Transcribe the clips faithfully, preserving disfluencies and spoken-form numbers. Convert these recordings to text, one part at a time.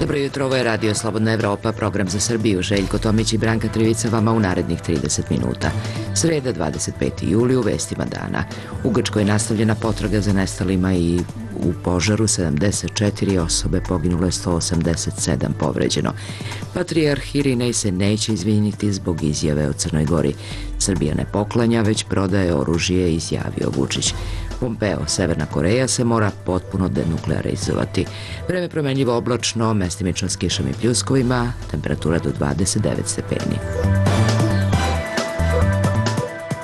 Dobro jutro, ovo je Radio Slobodna Evropa, program za Srbiju. Željko Tomić i Branka Trivica vama u narednih trideset minuta. Sreda, dvadeset peti juli, u vestima dana. U Grčkoj je nastavljena potraga za nestalima i u požaru sedamdeset četiri osobe, poginulo je sto osamdeset sedam povređeno. Patrijarh Irinej se neće izviniti zbog izjave o Crnoj Gori. Srbija ne poklanja, već prodaje oružje, izjavio Vučić. Pompeo, Severna Koreja se mora potpuno denuklearizovati. Vreme promenljivo oblačno, mestimično s kišom i pljuskovima, temperatura do dvadeset devet stepeni.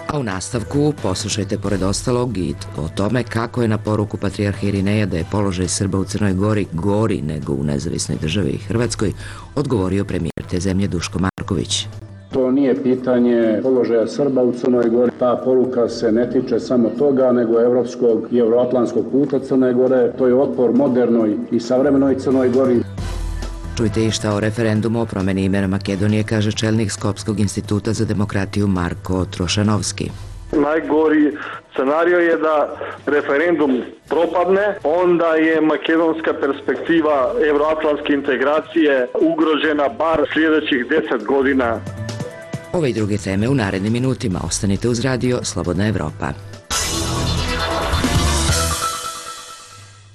A u nastavku poslušajte pored ostalog i o tome kako je na poruku patrijarha Irineja da je položaj Srba u Crnoj Gori gori nego u nezavisnoj državi Hrvatskoj odgovorio premijer te zemlje Duško Marković. To nije pitanje položaja Srba u Crnoj Gori. Ta poruka se ne tiče samo toga, nego evropskog i euroatlantskog puta Crne Gore. To je otpor modernoj i savremenoj Crnoj Gori. Čujte i šta o referendumu o promeni imena Makedonije kaže čelnik Skopskog instituta za demokratiju Marko Trošanovski. Najgori scenario je da referendum propadne, onda je makedonska perspektiva evroatlantske integracije ugrožena bar sljedećih deset godina. Ove i druge teme u narednim minutima. Ostanite uz Radio Slobodna Evropa.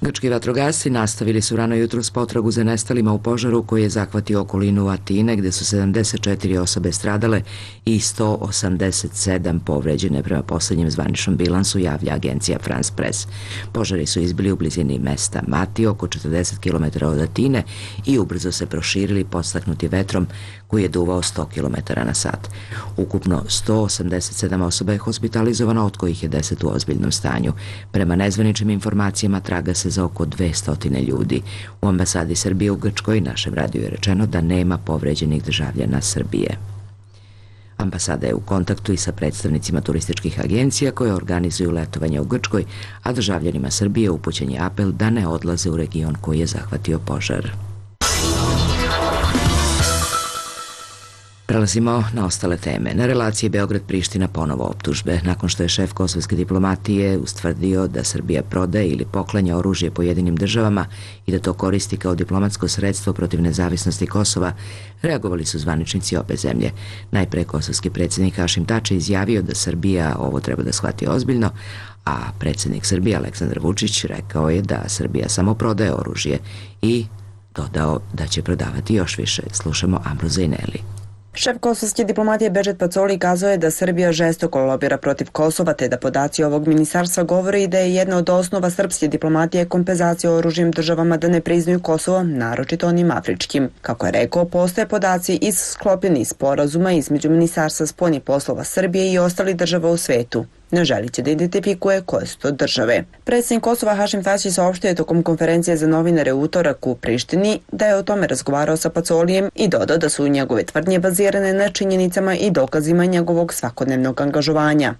Grčki vatrogasci nastavili su rano jutro s potragu za nestalima u požaru koji je zahvatio okolinu Atine, gde su sedamdeset četiri osobe stradale i sto osamdeset sedam povređene prema poslednjem zvaničnom bilansu, javlja agencija France Press. Požari su izbili u blizini mesta Mati, oko četrdeset kilometara od Atine, i ubrzo se proširili podstaknuti vetrom koji je duvao sto kilometara na sat. Ukupno sto osamdeset sedam osoba je hospitalizovano, od kojih je deset u ozbiljnom stanju. Prema nezvaničnim informacijama traga se za oko dvesta ljudi. U ambasadi Srbije u Grčkoj našem radiju je rečeno da nema povređenih državljana Srbije. Ambasada je u kontaktu i sa predstavnicima turističkih agencija koje organizuju letovanje u Grčkoj, a državljanima Srbije upućen je apel da ne odlaze u region koji je zahvatio požar. Prelazimo na ostale teme. Na relaciji Beograd-Priština ponovo optužbe. Nakon što je šef kosovske diplomatije ustvrdio da Srbija prodaje ili poklanja oružje pojedinim državama i da to koristi kao diplomatsko sredstvo protiv nezavisnosti Kosova, reagovali su zvaničnici obe zemlje. Najpre kosovski predsjednik Hašim Tači izjavio da Srbija ovo treba da shvati ozbiljno, a predsjednik Srbije Aleksandar Vučić rekao je da Srbija samo prodaje oružje i dodao da će prodavati još više. Slušamo Ambroza Ineli. Šef kosovske diplomatije Bedžet Pacoli kazao je da Srbija žestoko lobira protiv Kosova, te da podaci ovog ministarstva govore i da je jedna od osnova srpske diplomatije kompenzacija oružjem državama da ne priznaju Kosovo, naročito onim afričkim. Kako je rekao, postoje podaci iz sklopljenih sporazuma između Ministarstva spoljnih poslova Srbije i ostalih država u svetu. Ne želi će da identifikuje koje su to države. Predsjednik Kosova Hašim Tači saopštio je tokom konferencije za novinare u utorak u Prištini da je o tome razgovarao sa Pacolijem i dodao da su njegove tvrdnje bazirane na činjenicama i dokazima njegovog svakodnevnog angažovanja.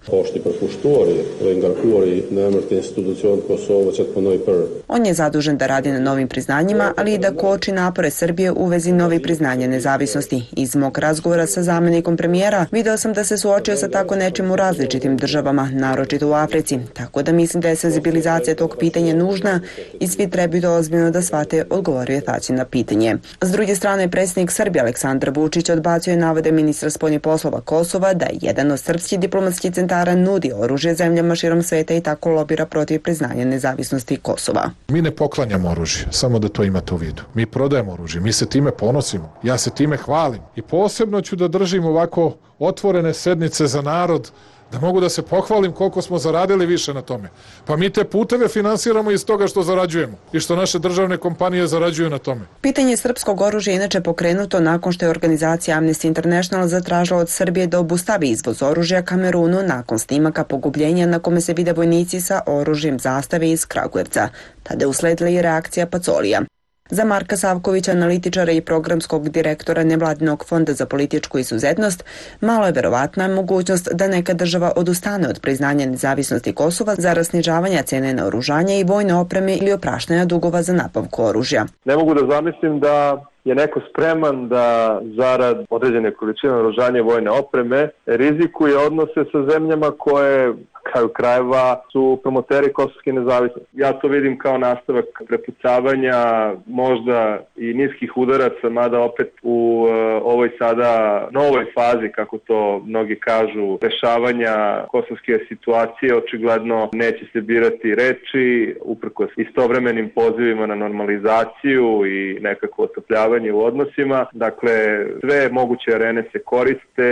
On je zadužen da radi na novim priznanjima, ali i da koči napore Srbije u vezi novih priznanja nezavisnosti. Iz mog razgovora sa zamenikom premijera video sam da se suočio sa tako nečim u različitim državama, naročito u Africi, tako da mislim da je senzibilizacija tog pitanja nužna i svi trebaju to ozbiljno da shvate, odgovorio je Tači na pitanje. S druge strane, predsjednik Srbije Aleksandar Vučić odbacio je navode ministra spoljnih poslova Kosova da jedan od srpskih diplomatskih centara nudi oružje zemljama širom sveta i tako lobira protiv priznanja nezavisnosti Kosova. Mi ne poklanjamo oružje, samo da to imate u vidu. Mi prodajemo oružje, mi se time ponosimo, ja se time hvalim i posebno ću da držim ovako otvorene sednice za narod, da mogu da se pohvalim koliko smo zaradili više na tome. Pa mi te puteve finansiramo iz toga što zarađujemo i što naše državne kompanije zarađuju na tome. Pitanje srpskog oružja inače pokrenuto nakon što je organizacija Amnesty International zatražila od Srbije da obustavi izvoz oružja Kamerunu nakon snimaka pogubljenja na kome se vide vojnici sa oružjem zastave iz Kragujevca. Tada je usledila i reakcija Pacolija. Za Marka Savkovića, analitičara i programskog direktora Nevladinog fonda za političku izuzetnost, malo je verovatna mogućnost da neka država odustane od priznanja nezavisnosti Kosova zarad snižavanja cene naoružanja i vojne opreme ili opraštanja dugova za nabavku oružja. Ne mogu da zamislim da je neko spreman da zarad određene količine naoružanja i vojne opreme rizikuje odnose sa zemljama koje kraju krajeva su promoteri kosovske nezavisnosti. Ja to vidim kao nastavak prepucavanja, možda i niskih udaraca, mada opet u uh, ovoj sada novoj fazi, kako to mnogi kažu, rešavanja kosovske situacije, očigledno neće se birati reči, uprkos istovremenim pozivima na normalizaciju i nekako otopljavanje u odnosima. Dakle, sve moguće arene se koriste,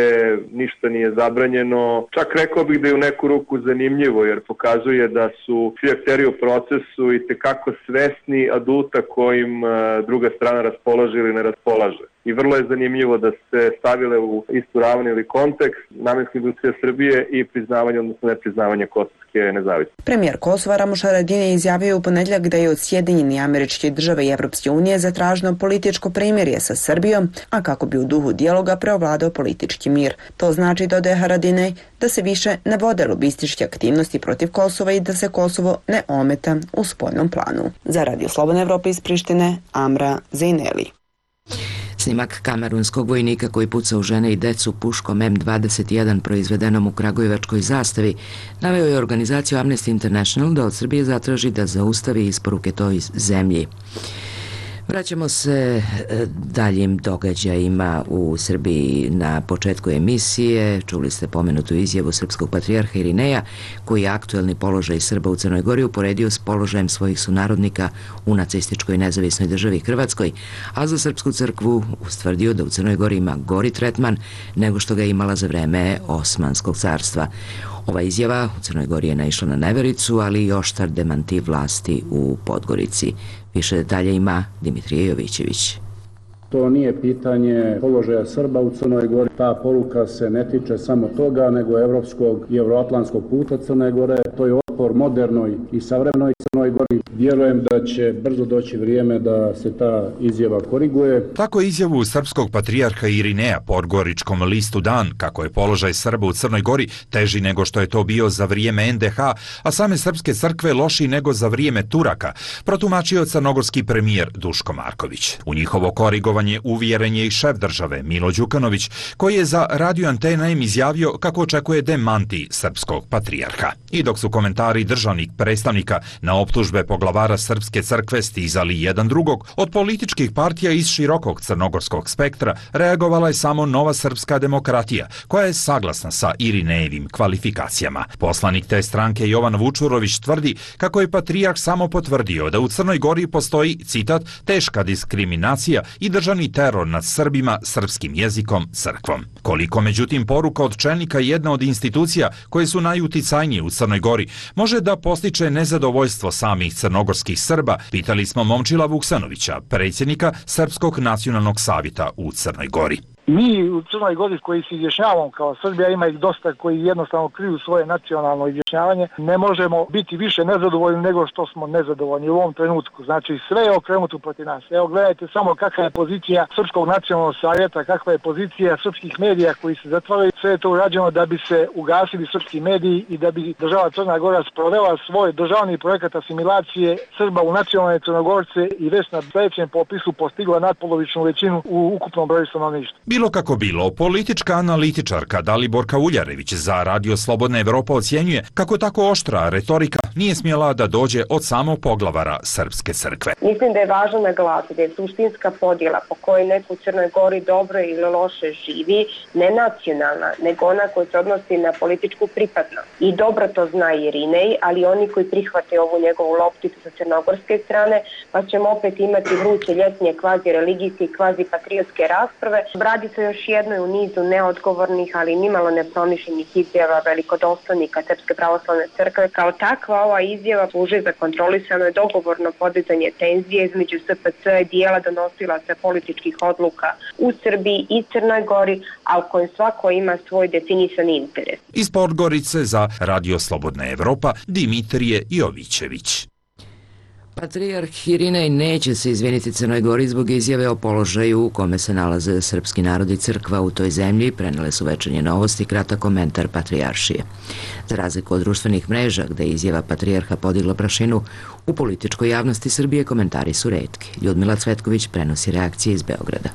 ništa nije zabranjeno. Čak rekao bih da je u neku ruku zanimljivo, jer pokazuje da su svi akteri u procesu i tekako svesni aduta kojim druga strana raspolaže ili ne raspolaže. I vrlo je zanimljivo da se stavile u istu ravan ili kontekst namenska industrija Srbije i priznavanje, odnosno nepriznavanje kosovske nezavisnosti. Premijer Kosova Ramuš Haradinaj izjavio u ponedjeljak da je od Sjedinjenih Američkih Država i Evropske unije zatraženo političko primirje sa Srbijom, a kako bi u duhu dijaloga preovladao politički mir. To znači, dodaje Haradinaj, da se više ne vode lobističke aktivnosti protiv Kosova i da se Kosovo ne ometa u spoljnom planu. Za Radio Slobodna Evropa iz Prištine, Amra Zejneli. Snimak kamerunskog vojnika koji puca u žene i decu puškom M dvadeset jedan proizvedenom u kragujevačkoj zastavi naveo je organizaciju Amnesty International da od Srbije zatraži da zaustavi isporuke toj zemlji. Vraćamo se daljim događajima u Srbiji. Na početku emisije čuli ste pomenutu izjavu srpskog patrijarha Irineja, koji je aktuelni položaj Srba u Crnoj Gori uporedio s položajem svojih sunarodnika u nacističkoj nezavisnoj državi Hrvatskoj, a za Srpsku crkvu ustvrdio da u Crnoj Gori ima gori tretman nego što ga je imala za vreme Osmanskog carstva. Ova izjava u Crnoj Gori je naišla na nevericu, ali i oštar demanti vlasti u Podgorici. Više detalja ima Dimitrije Jovićević. To nije pitanje položaja Srba u Crnoj Gori. Ta poruka se ne tiče samo toga, nego evropskog i evroatlantskog puta Crne Gore. To je otpor modernoj i savremenoj Crnoj Gori. Vjerujem da će brzo doći vrijeme da se ta izjava koriguje. Tako je izjavu srpskog patrijarha Irineja podgoričkom listu Dan, kako je položaj Srba u Crnoj Gori teži nego što je to bio za vrijeme en de ha, a same srpske crkve lošiji nego za vrijeme Turaka, protumačio crnogorski premijer Duško Marković. U njihovo korigovanje uvjeren je i šef države Milo Đukanović, koji je za Radio Antena im izjavio kako očekuje demanti srpskog patrijarha. I dok su komentari državnih predstavnika na optužbe poglavara Srpske crkve stizali jedan drugog, od političkih partija iz širokog crnogorskog spektra reagovala je samo Nova srpska demokratija, koja je saglasna sa Irinejevim kvalifikacijama. Poslanik te stranke Jovan Vučurović tvrdi kako je patrijarh samo potvrdio da u Crnoj Gori postoji, citat, teška diskriminacija i državni teror nad Srbima, srpskim jezikom, crkvom. Koliko, međutim, poruka od čelnika jedne od institucija koje su najuticajnije u Crnoj Gori može da postiče nezadovoljstvo samih crnogorskih Srba, pitali smo Momčila Vuksanovića, predsjednika Srpskog nacionalnog savjeta u Crnoj Gori. Mi u Crnoj Gori koji se izjašnjavamo kao Srbija, ima ih dosta koji jednostavno kriju svoje nacionalno izjašnjavanje, ne možemo biti više nezadovoljni nego što smo nezadovoljni u ovom trenutku. Znači sve je okrenuto protiv nas. Evo gledajte samo kakva je pozicija Srpskog nacionalnog savjeta, kakva je pozicija srpskih medija koji se zatvaraju. Sve je to urađeno da bi se ugasili srpski mediji i da bi država Crna Gora sprovela svoj državni projekat asimilacije Srba u nacionalne Crnogorce i već na sljedećem popisu postigla nadpolovičnu većinu u ukupnom broju stanovništva. Bilo kako bilo, politička analitičarka Daliborka Uljarević za Radio Slobodna Evropa ocjenjuje kako tako oštra retorika nije smjela da dođe od samog poglavara Srpske crkve. Mislim da je važno naglasiti da je suštinska podjela po kojoj neko u Crnoj Gori dobro ili loše živi ne nacionalna, nego ona koja se odnosi na političku pripadnost. I dobro to zna Irinej, ali oni koji prihvate ovu njegovu lopticu sa crnogorske strane, pa ćemo opet imati vruće ljetnje kvazi religijske i kvazi patriotske rasprave. Radi se još jednoj u nizu neodgovornih, ali nimalo nepromišljenih izjava velikodostojnika Srpske pravoslavne crkve. Kao takva ova izjava služi za kontrolisano i dogovorno podizanje tenzije između es pe ce i dijela donosilaca političkih odluka u Srbiji i Crnoj Gori, a u kojem svako ima svoj definisan interes. Iz Podgorice za Radio Slobodna Evropa Dimitrije Jovićević. Patrijarh Irinej neće se izviniti Crnoj Gori zbog izjave o položaju u kome se nalaze srpski narod i crkva u toj zemlji, prenele su Večernje novosti, kratak komentar patrijaršije. Za razliku od društvenih mreža, gde je izjava patrijarha podigla prašinu, u političkoj javnosti Srbije komentari su retki. Ljudmila Cvetković prenosi reakcije iz Beograda.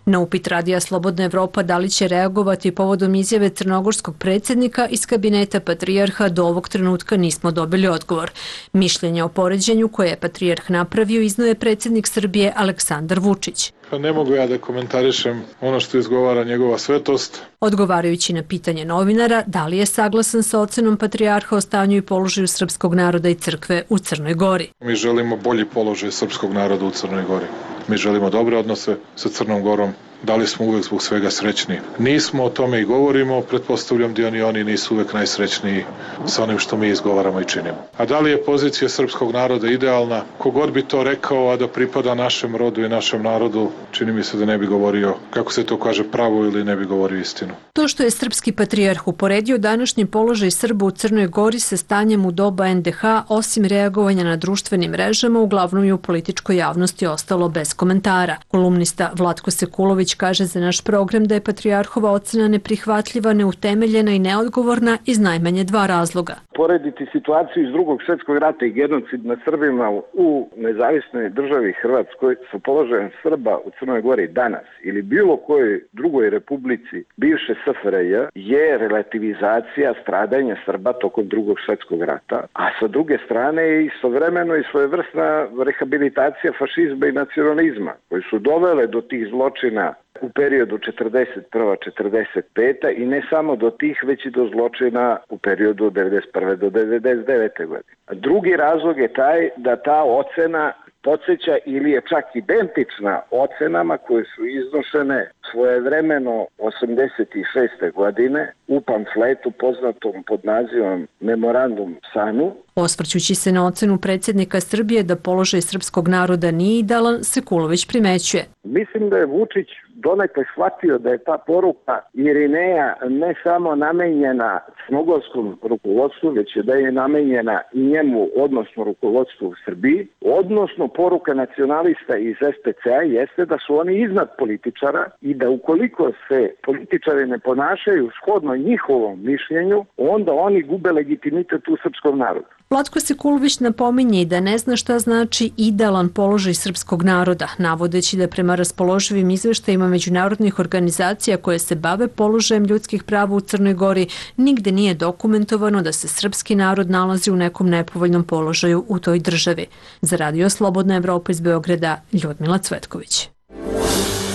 Na upit Radija Slobodna Evropa da li će reagovati povodom izjave crnogorskog predsjednika iz kabineta patrijarha do ovog trenutka nismo dobili odgovor. Mišljenje o poređenju koje je patrijarh napravio iznio je predsjednik Srbije Aleksandar Vučić. Pa ne mogu ja da komentarišem ono što izgovara njegova svetost. Odgovarajući na pitanje novinara da li je saglasan sa ocenom patrijarha o stanju i položaju srpskog naroda i crkve u Crnoj Gori. Mi želimo bolji položaj srpskog naroda u Crnoj Gori. Mi želimo dobre odnose sa Crnom Gorom. Da li smo uvek zbog svega srećni? Nismo, o tome i govorimo, pretpostavljam da ni oni nisu uvek najsrećniji sa onim što mi izgovaramo i činimo. A da li je pozicija srpskog naroda idealna? Kogod bi to rekao, a da pripada našem rodu i našem narodu, čini mi se da ne bi govorio, kako se to kaže, pravo ili ne bi govorio istinu. To što je srpski patrijarh uporedio današnji položaj Srba u Crnoj Gori sa stanjem u doba en de ha, osim reagovanja na društvenim mrežama, uglavnom i u političkoj javnosti ostalo bez komentara. Kolumnista Vlatko Sekulović kaže za naš program da je patrijarhova ocena neprihvatljiva, neutemeljena i neodgovorna iz najmanje dva razloga. Porediti situaciju iz drugog svjetskog rata i genocid nad Srbima u nezavisnoj državi Hrvatskoj sa položajem Srba u Crnoj Gori danas ili bilo kojoj drugoj republici bivše es ef er je je relativizacija stradanja Srba tokom drugog svjetskog rata, a sa druge strane je istovremeno i svojevrsna rehabilitacija fašizma i nacionalizma koji su dovele do tih zločina u periodu četrdeset prva do četrdeset peta i ne samo do tih, već i do zločina u periodu od devedeset prve do devedeset devete godine. Drugi razlog je taj da ta ocena podsjeća ili je čak identična ocenama koje su iznošene svojevremeno osamdeset šeste godine u pamfletu poznatom pod nazivom Memorandum Sanu. Osvrćući se na ocenu predsjednika Srbije da položaj srpskog naroda nije idealan, Sekulović primećuje. Mislim da je Vučić donekle shvatio da je ta poruka Irineja ne samo namenjena crnogorskom rukovodstvu, već je da je namenjena i njemu, odnosno rukovodstvu u Srbiji, odnosno poruka nacionalista iz es pe ce a jeste da su oni iznad političara i da ukoliko se političari ne ponašaju shodno njihovom mišljenju, onda oni gube legitimitet u srpskom narodu. Vlatko Sekulović napominje i da ne zna šta znači idealan položaj srpskog naroda, navodeći da prema raspoloživim izveštajima međunarodnih organizacija koje se bave položajem ljudskih prava u Crnoj Gori nigde nije dokumentovano da se srpski narod nalazi u nekom nepovoljnom položaju u toj državi. Za Radio Slobodna Evropa iz Beograda, Ljudmila Cvetković.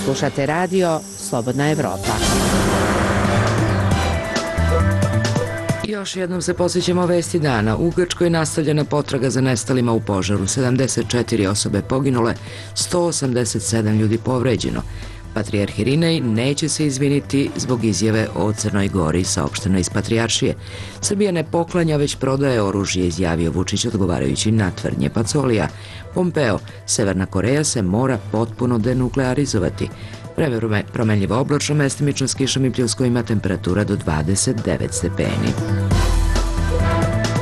Slušate Radio Slobodna Evropa. Još jednom se posjećamo vesti dana. U Grčkoj nastavljena potraga za nestalima u požaru. sedamdeset četiri osobe poginule, sto osamdeset sedam ljudi povređeno. Patrijarh Irinej neće se izviniti zbog izjave o Crnoj Gori, saopšteno iz Patrijaršije. Srbija ne poklanja, već prodaje oružje, izjavio Vučić odgovarajući na tvrdnje Pacolija. Pompeo, Severna Koreja se mora potpuno denuklearizovati. Vreme promenljivo oblačno, mestimično s kišom i pljuskovima, temperatura do dvadeset devet stepeni.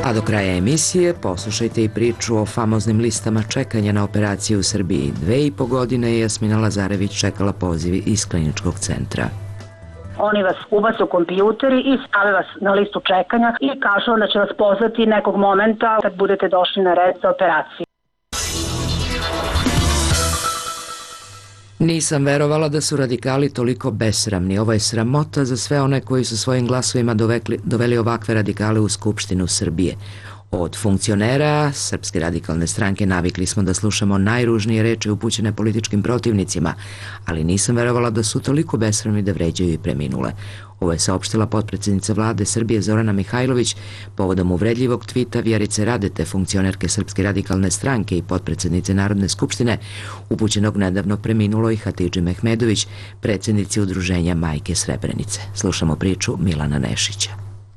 A do kraja emisije poslušajte i priču o famoznim listama čekanja na operaciju u Srbiji. Dve i po godine je Jasmina Lazarević čekala pozivi iz kliničkog centra. Oni vas ubace u kompjuteri i stave vas na listu čekanja i kažu da će vas pozvati nekog momenta kad budete došli na red za operaciju. Nisam verovala da su radikali toliko besramni. Ovo je sramota za sve one koji su svojim glasovima dovekli, doveli ovakve radikale u Skupštinu Srbije. Od funkcionera Srpske radikalne stranke navikli smo da slušamo najružnije reči upućene političkim protivnicima, ali nisam verovala da su toliko besramni da vređaju i preminule. Ovo je saopštila potpredsjednica vlade Srbije Zorana Mihajlović povodom uvredljivog tvita Vjerice Radete, funkcionerke Srpske radikalne stranke i potpredsjednice Narodne skupštine, upućenog nedavno preminuloj Hatidži Mehmedović, predsjednici udruženja Majke Srebrenice. Slušamo priču Milana Nešića.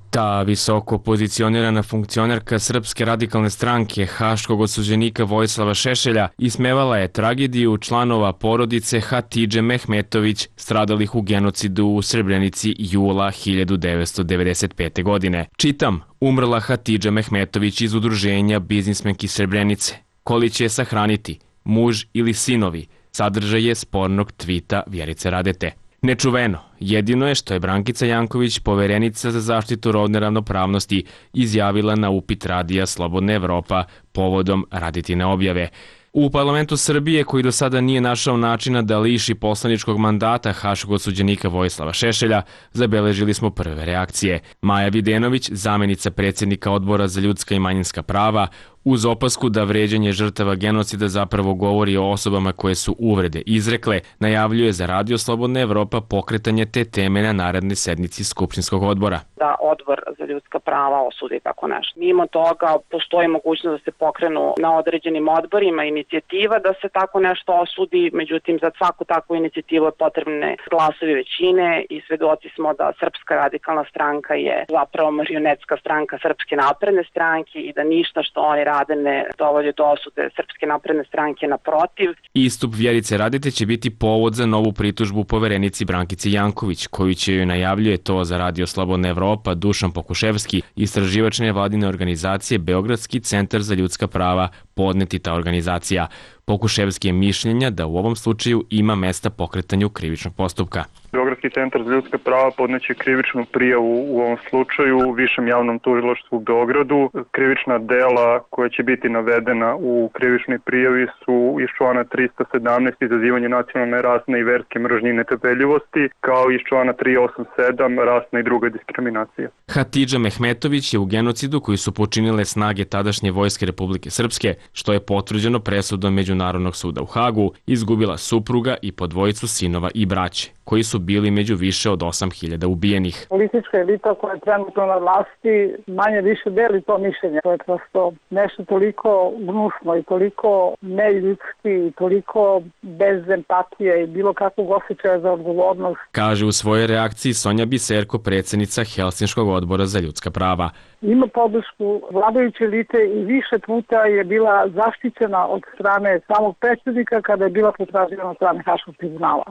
Ta visoko pozicionirana funkcionerka Srpske radikalne stranke haškog osuđenika Vojislava Šešelja ismevala je tragediju članova porodice Hatidže Mehmetović stradalih u genocidu u Srebrenici jula hiljadu devetsto devedeset pete. godine. Čitam, umrla Hatidža Mehmetović iz udruženja Biznismenki Srebrenice. Koli će je sahraniti, muž ili sinovi, sadržaj je spornog tvita Vjerice Radete. Nečuveno, jedino je što je Brankica Janković, poverenica za zaštitu rodne ravnopravnosti, izjavila na upit Radija Slobodna Evropa povodom Radetine objave. U parlamentu Srbije, koji do sada nije našao načina da liši poslaničkog mandata haškog osuđenika Vojislava Šešelja, zabeležili smo prve reakcije. Maja Videnović, zamenica predsjednika Odbora za ljudska i manjinska prava, uz opasku da vređanje žrtava genocida zapravo govori o osobama koje su uvrede izrekle, najavljuje za Radio Slobodna Evropa pokretanje te teme na narednoj sednici Skupštinskog odbora. Da Odbor za ljudska prava osudi tako nešto. Mimo toga postoji mogućnost da se pokrenu na određenim odborima inicijativa da se tako nešto osudi, međutim za svaku takvu inicijativu je potrebne glasovi većine i svedoci smo da Srpska radikalna stranka je zapravo marionetska stranka Srpske napredne stranke i da ništa što oni rade ne dovodi do osude Srpske napredne stranke, naprotiv. Istup Vjerice Radete će biti povod za novu pritužbu poverenici Brankici Janković, koju će joj najavljuje to za Radio Slobodna Evropa Dušan Pokuševski, istraživač nevladine organizacije Beogradski centar za ljudska prava, podneti ta organizacija. Pokuševski je mišljenja da u ovom slučaju ima mesta pokretanju krivičnog postupka. Beogradski centar za ljudska prava podneće krivičnu prijavu u ovom slučaju u Višem javnom tužilaštvu u Beogradu. Krivična dela koja će biti navedena u krivičnoj prijavi su iz člana trista sedamnaest izazivanje nacionalne, rasne i verske mržnje i netrpeljivosti, kao i iz člana tristo osamdeset sedam rasna i druga diskriminacija. Hatidža Mehmetović je u genocidu koji su počinile snage tadašnje Vojske Republike Srpske, što je potvrđeno presudom Međunarodnog suda u Hagu, izgubila supruga i po dvojicu sinova i braće, koji su bili među više od osam hiljada ubijenih. Politička elita koja je trenutno na vlasti manje više deli to mišljenje. To je prosto nešto toliko gnusno i toliko neljudski i toliko bez empatije i bilo kakvog osjećaja za odgovornost. Kaže u svojoj reakciji Sonja Biserko, predsjednica Helsinškog odbora za ljudska prava. Ima podršku vladajuće elite i više puta je bila zaštićena od strane samog predsjednika kada je bila potraživana od strane Haškog tribunala.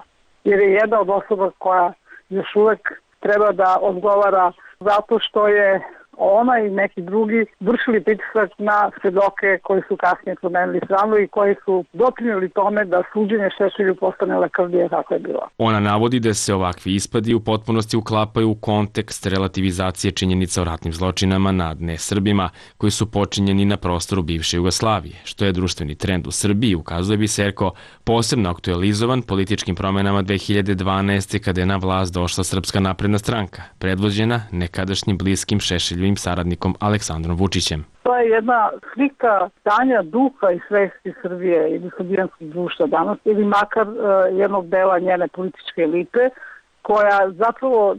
Jer je jedna od osoba koja još uvek treba da odgovara zato što je ona i neki drugi vršili pritisak na svedoke koji su kasnije promenili stranu i koji su doprinijeli tome da suđenje Šešelju postane lakrdije kako je bilo. Ona navodi da se ovakvi ispadi u potpunosti uklapaju u kontekst relativizacije činjenica o ratnim zločinama nad nesrbima koji su počinjeni na prostoru bivše Jugoslavije, što je društveni trend u Srbiji, ukazuje Biserko, posebno aktualizovan političkim promenama dve hiljade dvanaeste. kada je na vlast došla Srpska napredna stranka, predvođena nekadašnjim bliskim Šešelju saradnikom Aleksandrom Vučićem. To je jedna slika stanja duha i svesti Srbije ili srbijanskog društva danas, ili makar uh, jednog dela njene političke elite, koja zapravo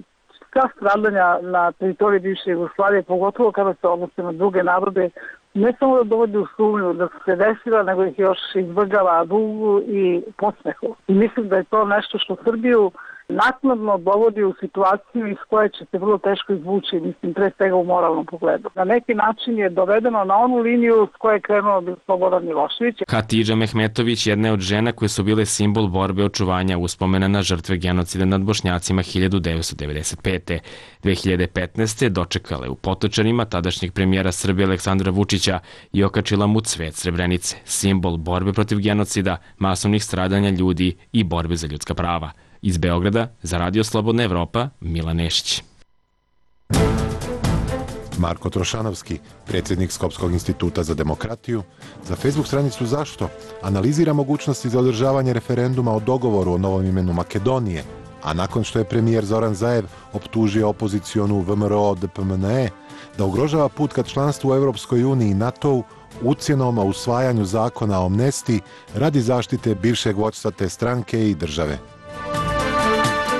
sva stradanja na teritoriji bivše Jugoslavije, pogotovo kada se odnose na druge narode, ne samo da dovodi u sumnju da su se desila, nego ih još izvrgava dugu i podsmehu. I mislim da je to nešto što Srbiju naknadno dovodi u situaciju iz koje će se vrlo teško izvući, mislim, pre svega u moralnom pogledu. Na neki način je dovedeno na onu liniju s koje je krenuo Slobodan Milošević. Hatidža Mehmetović jedna je od žena koje su bile simbol borbe očuvanja uspomena na žrtve genocida nad Bošnjacima hiljadu devetsto devedeset pete. dve hiljade petnaeste. dočekala u Potočarima tadašnjeg premijera Srbije Aleksandra Vučića i okačila mu cvet Srebrenice, simbol borbe protiv genocida, masovnih stradanja ljudi i borbe za ljudska prava. Iz Beograda, za Radio Slobodna Evropa, Milan Nešić. Marko Trošanovski, predsjednik Skopskog instituta za demokratiju, za Facebook stranicu Zašto analizira mogućnosti za održavanje referenduma o dogovoru o novom imenu Makedonije, a nakon što je premijer Zoran Zaev optužio opozicionu V M R O D P M N E da ugrožava put ka članstvu u Evropskoj uniji i NATO-u ucjenom o usvajanju zakona o amnestiji radi zaštite bivšeg vođstva te stranke i države.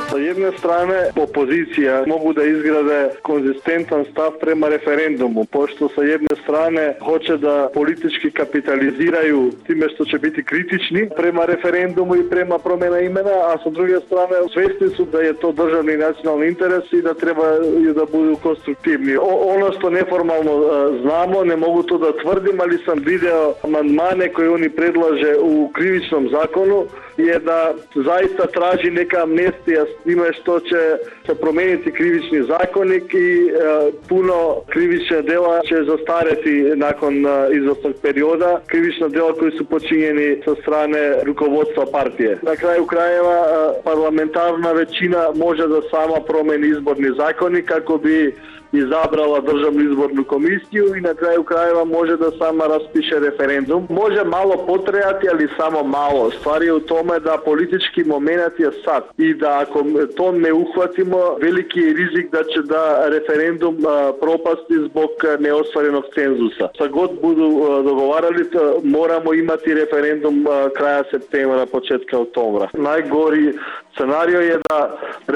Sa jedne strane, opozicija mogu da izgrade konzistentan stav prema referendumu, pošto sa jedne strane hoće da politički kapitaliziraju time što će biti kritični prema referendumu i prema promjena imena, a sa druge strane svjesni su da je to državni i nacionalni interes i da treba da budu konstruktivni. O, ono što neformalno a, znamo, ne mogu to da tvrdim, ali sam video amandmane koje oni predlaže u krivičnom zakonu, je da zaista traži neka amnestija s time što će se promijeniti krivični zakonik i e, puno krivična dela će zastareti nakon e, izvjesnog perioda, krivična dela koji su počinjeni sa strane rukovodstva partije. Na kraju krajeva e, parlamentarna većina može da sama promeni izborni zakonik kako bi izabrala državnu izbornu komisiju i na kraju krajeva može da sama raspiše referendum. Može malo potrajati, ali samo malo. Stvar je u tome da politički moment je sad i da ako to ne uhvatimo, veliki je rizik da će da referendum a, propasti zbog neostvarenog cenzusa. Sa god budu a, dogovarali, to, moramo imati referendum a, kraja septembra, početka oktobra. Najgori scenario je da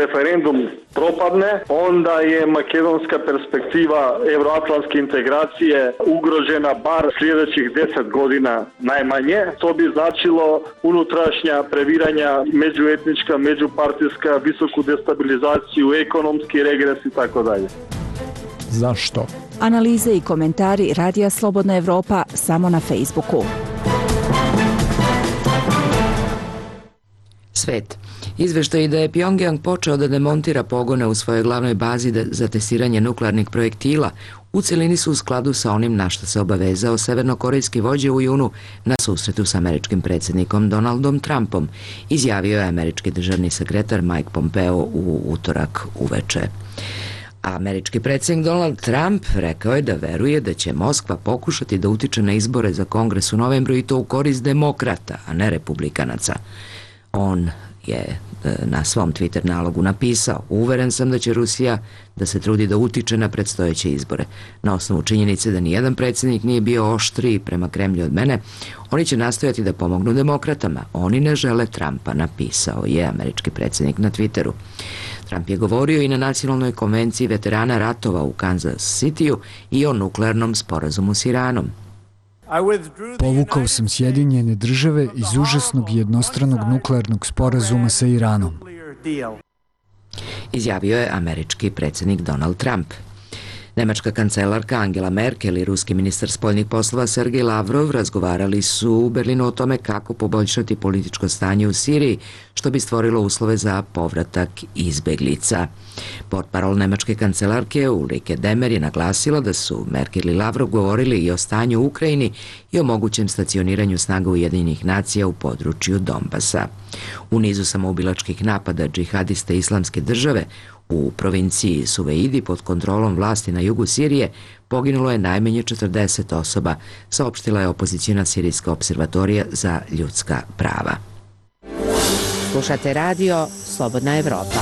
referendum propadne, onda je makedonska perspektiva evroatlantske integracije ugrožena bar sljedećih deset godina najmanje. To bi značilo unutrašnja previranja, međuetnička, međupartijska, visoku destabilizaciju, ekonomski regres i tako dalje. Zašto? Analize i komentari Radija Slobodna Evropa samo na Facebooku. Svet. Izveštaj da je Pjongjang počeo da demontira pogone u svojoj glavnoj bazi za testiranje nuklearnih projektila u celini su u skladu sa onim na što se obavezao severnokorejski vođa u junu na susretu sa američkim predsjednikom Donaldom Trumpom, izjavio je američki državni sekretar Mike Pompeo u utorak uveče. Američki predsjednik Donald Trump rekao je da veruje da će Moskva pokušati da utiče na izbore za Kongres u novembru i to u korist demokrata, a ne republikanaca. On je na svom Twitter nalogu napisao: uveren sam da će Rusija da se trudi da utiče na predstojeće izbore. Na osnovu činjenice da nijedan predsjednik nije bio oštriji prema Kremlju od mene, oni će nastojati da pomognu demokratama. Oni ne žele Trumpa, napisao je američki predsjednik na Twitteru. Trump je govorio i na nacionalnoj konvenciji veterana ratova u Kansas Cityu i o nuklearnom sporazumu s Iranom. Povukao sam Sjedinjene države iz užasnog jednostranog nuklearnog sporazuma sa Iranom, izjavio je američki predsjednik Donald Trump. Nemačka kancelarka Angela Merkel i ruski ministar spoljnih poslova Sergej Lavrov razgovarali su u Berlinu o tome kako poboljšati političko stanje u Siriji, što bi stvorilo uslove za povratak izbeglica. Portparol nemačke kancelarke Ulrike Demmer je naglasila da su Merkel i Lavrov govorili i o stanju u Ukrajini i o mogućem stacioniranju snaga Ujedinjenih nacija u području Donbasa. U nizu samoubilačkih napada džihadiste Islamske države u provinciji Suveidi pod kontrolom vlasti na jugu Sirije poginulo je najmanje četrdeset osoba, saopštila je opozicijna sirijska observatorija za ljudska prava. Slušate radio Slobodna Evropa.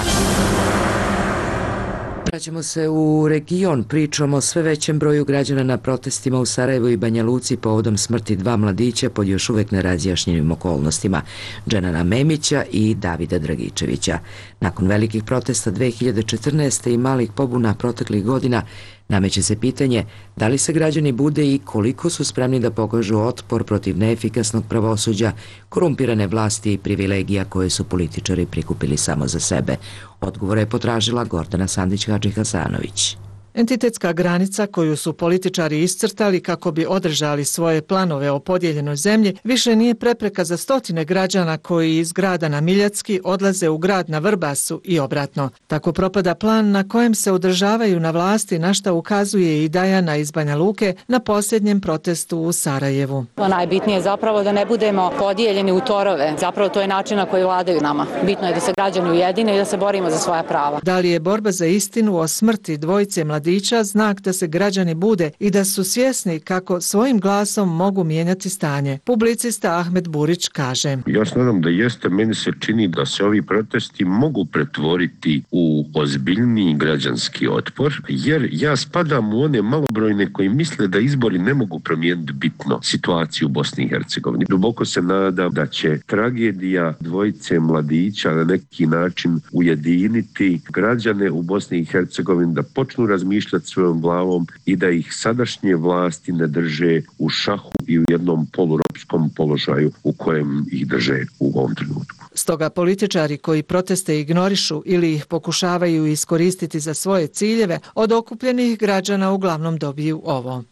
Vraćamo se u region, pričamo o sve većem broju građana na protestima u Sarajevu i Banja Luci povodom smrti dva mladića pod još uvek nerazjašnjenim okolnostima, Dženana Memića i Davida Dragičevića. Nakon velikih protesta dve hiljade četrnaeste. i malih pobuna proteklih godina, nameće se pitanje da li se građani bude i koliko su spremni da pokažu otpor protiv neefikasnog pravosuđa, korumpirane vlasti i privilegija koje su političari prikupili samo za sebe. Odgovore je potražila Gordana Sandić-Hadžihasanović. Entitetska granica koju su političari iscrtali kako bi održali svoje planove o podijeljenoj zemlji više nije prepreka za stotine građana koji iz grada na Miljacki odlaze u grad na Vrbasu i obratno. Tako propada plan na kojem se održavaju na vlasti, na šta ukazuje i Dajana iz Banja Luke na posljednjem protestu u Sarajevu. Najbitnije je zapravo da ne budemo podijeljeni u torove. Zapravo to je način na koji vladaju nama. Bitno je da se građani ujedine i da se borimo za svoja prava. Da li je borba za istinu o smrti dvojice mladića znak da se građani bude i da su svjesni kako svojim glasom mogu mijenjati stanje? Publicista Ahmed Burić kaže: ja se nadam da jeste, meni se čini da se ovi protesti mogu pretvoriti u ozbiljniji građanski otpor, jer ja spadam u one malobrojne koji misle da izbori ne mogu promijeniti bitno situaciju u Bosni i Hercegovini. Duboko se nadam da će tragedija dvojice mladića na neki način ujediniti građane u Bosni i Hercegovini da počnu razmišljati svojom glavom i da ih sadašnje vlasti ne drže u šahu i u jednom poluropskom položaju u kojem ih drže u ovom trenutku. Stoga političari koji proteste ignorišu ili ih pokušavaju iskoristiti za svoje ciljeve, od okupljenih građana uglavnom dobiju ovo.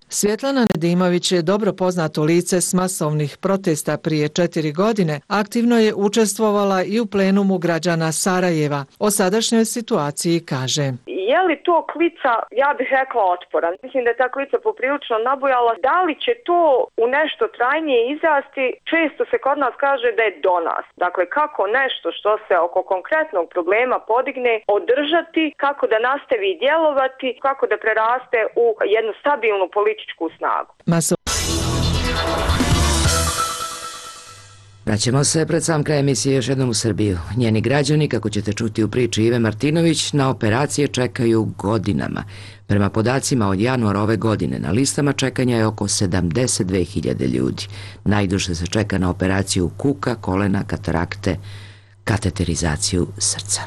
Svjetlana Nedimović je dobro poznato lice s masovnih protesta prije četiri godine. Aktivno je učestvovala i u plenumu građana Sarajeva. O sadašnjoj situaciji kaže: je li to klica, ja bih rekla, otpora? Mislim da je ta klica poprilično nabujala. Da li će to u nešto trajnije izrasti? Često se kod nas kaže da je do nas. Dakle, kako nešto što se oko konkretnog problema podigne, održati, kako da nastavi djelovati, kako da preraste u jednu stabilnu političku snagu. Maso... Vraćamo se pred sam kraj emisije još jednom u Srbiju. Njeni građani, kako ćete čuti u priči Ive Martinović, na operacije čekaju godinama. Prema podacima od januara ove godine na listama čekanja je oko sedamdeset dve hiljade ljudi. Najduže se čeka na operaciju kuka, kolena, katarakte, kateterizaciju srca.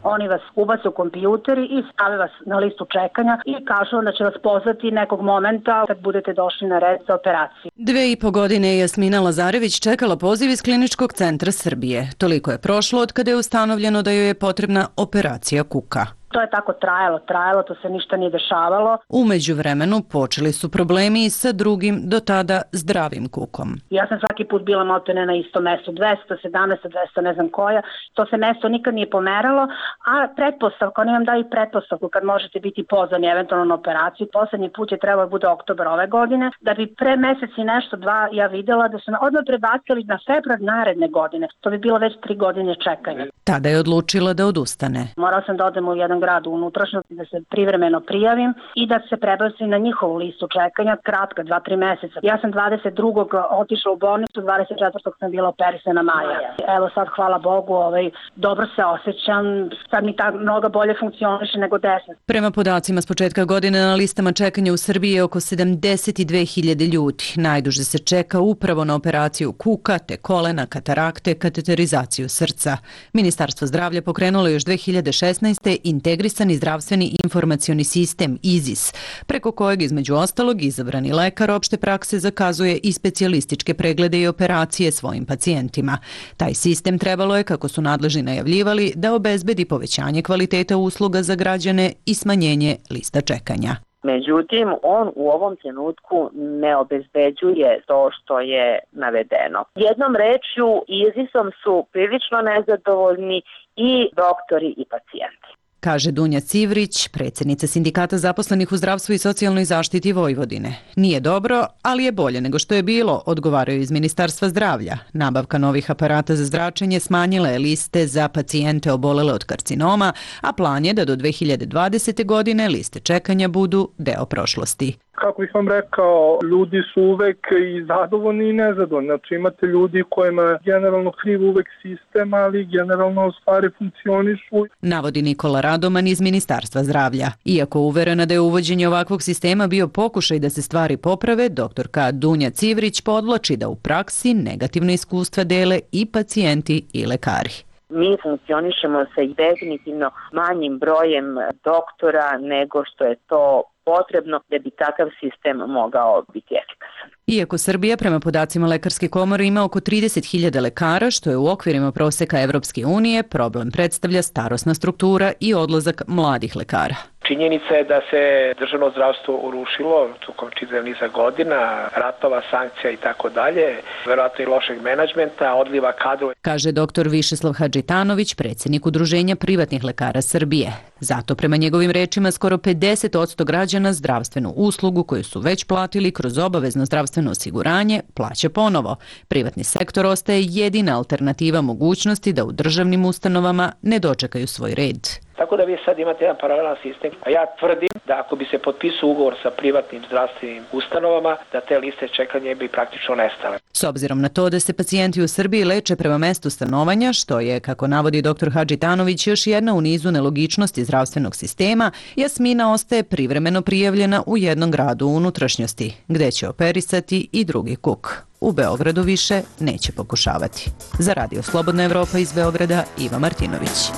Oni vas ubace u kompjuteri i stave vas na listu čekanja i kažu da će vas pozvati nekog momenta kad budete došli na red za operaciju. Dve i po godine je Jasmina Lazarević čekala poziv iz Kliničkog centra Srbije. Toliko je prošlo od kada je ustanovljeno da joj je potrebna operacija kuka. To je tako trajalo, trajalo, to se ništa nije dešavalo. U međuvremenu počeli su problemi i sa drugim, do tada zdravim kukom. Ja sam svaki put bila maltene na istom mestu, dvesta sedamnaest, dvesta ne znam koja. To se mesto nikad nije pomeralo, a pretpostavka, oni vam daju pretpostavku kad možete biti pozvani eventualno na operaciju. Poslednji put je trebalo da bude oktobar ove godine, da bi pre mesec i nešto, dva, ja videla da su odmah prebacili na februar naredne godine. To bi bilo već tri godine čekanja. Tada je odlučila da odustane. Morala sam da odem u jedan grad u unutrašnjosti, da se privremeno prijavim i da se prebacim na njihovu listu čekanja, kratka, dva, tri meseca. Ja sam dvadeset drugog otišla u bolnicu, dvadeset četvrtog sam bila operisana maja. Evo sad, hvala Bogu, ovaj, dobro se osjećam, sad mi ta noga bolje funkcioniše nego desna. Prema podacima s početka godine na listama čekanja u Srbiji je oko sedamdeset dve hiljade ljudi. Najduže se čeka upravo na operaciju kuka, te kolena, katarakte, kateterizaciju srca. Ministarstvo zdravlja pokrenulo još dve hiljade šesnaeste. Integrisani zdravstveni informacioni sistem I Z I S, preko kojeg između ostalog izabrani lekar opšte prakse zakazuje i specijalističke preglede i operacije svojim pacijentima. Taj sistem trebalo je, kako su nadležni najavljivali, da obezbedi povećanje kvaliteta usluga za građane i smanjenje lista čekanja. Međutim, on u ovom trenutku ne obezbeđuje to što je navedeno. Jednom rečju, I Z I S-om su prilično nezadovoljni i doktori i pacijenti. Kaže Dunja Civrić, predsjednica Sindikata zaposlenih u zdravstvu i socijalnoj zaštiti Vojvodine. Nije dobro, ali je bolje nego što je bilo, odgovaraju iz Ministarstva zdravlja. Nabavka novih aparata za zračenje smanjila je liste za pacijente obolele od karcinoma, a plan je da do dve hiljade dvadesete. godine liste čekanja budu deo prošlosti. Kako bih vam rekao, ljudi su uvek i zadovoljni i nezadovoljni. Znači imate ljudi kojima je generalno kriv uvek sistem, ali generalno stvari funkcionišu. Navodi Nikola Radoman iz Ministarstva zdravlja. Iako uverena da je uvođenje ovakvog sistema bio pokušaj da se stvari poprave, doktorka Dunja Civrić podvlači da u praksi negativne iskustva dele i pacijenti i lekari. Mi funkcionišemo sa definitivno manjim brojem doktora nego što je to potrebno da bi takav sistem mogao biti efikasan. Iako Srbija prema podacima Lekarske komore ima oko trideset hiljada lekara, što je u okvirima proseka Evropske unije, problem predstavlja starosna struktura i odlazak mladih lekara. Činjenica je da se državno zdravstvo urušilo tokom čitavog niza godina, ratova, sankcija i tako dalje, verovatno i lošeg menadžmenta, odliva kadrova. Kaže doktor Višeslav Hadžitanović, predsjednik Udruženja privatnih lekara Srbije. Zato prema njegovim rečima skoro pedeset posto građana zdravstvenu uslugu koju su već platili kroz obavezno zdravstveno osiguranje plaća ponovo. Privatni sektor ostaje jedina alternativa mogućnosti da u državnim ustanovama ne dočekaju svoj red. Tako da vi sad imate jedan paralelan sistem, a ja tvrdim da ako bi se potpisao ugovor sa privatnim zdravstvenim ustanovama, da te liste čekanja bi praktično nestale. S obzirom na to da se pacijenti u Srbiji leče prema mestu stanovanja, što je, kako navodi doktor Hadžitanović, još jedna u nizu nelogičnosti zdravstvenog sistema, Jasmina ostaje privremeno prijavljena u jednom gradu u unutrašnjosti, gde će operisati i drugi kuk. U Beogradu više neće pokušavati. Za Radio Slobodna Evropa iz Beograda, Iva Martinović.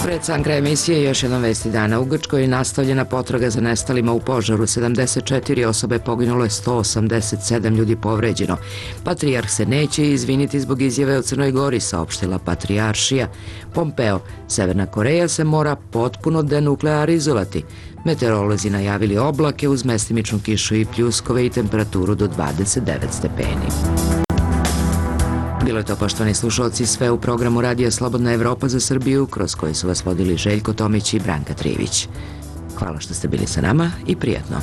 Pred sam kraj emisije još jednom vesti dana. U Grčkoj je nastavljena potraga za nestalima u požaru. sedamdeset četiri osobe poginulo je, sto osamdeset sedam ljudi povređeno. Patrijarh se neće izviniti zbog izjave o Crnoj Gori, saopštila patrijaršija. Pompeo, Severna Koreja se mora potpuno denuklearizovati. Meteorolozi najavili oblake uz mestimičnu kišu i pljuskove i temperaturu do dvadeset devet stepeni. Bilo je to, poštovani slušalci, sve u programu Radija Slobodna Evropa za Srbiju, kroz koji su vas vodili Željko Tomić i Branka Trijević. Hvala što ste bili sa nama i prijatno.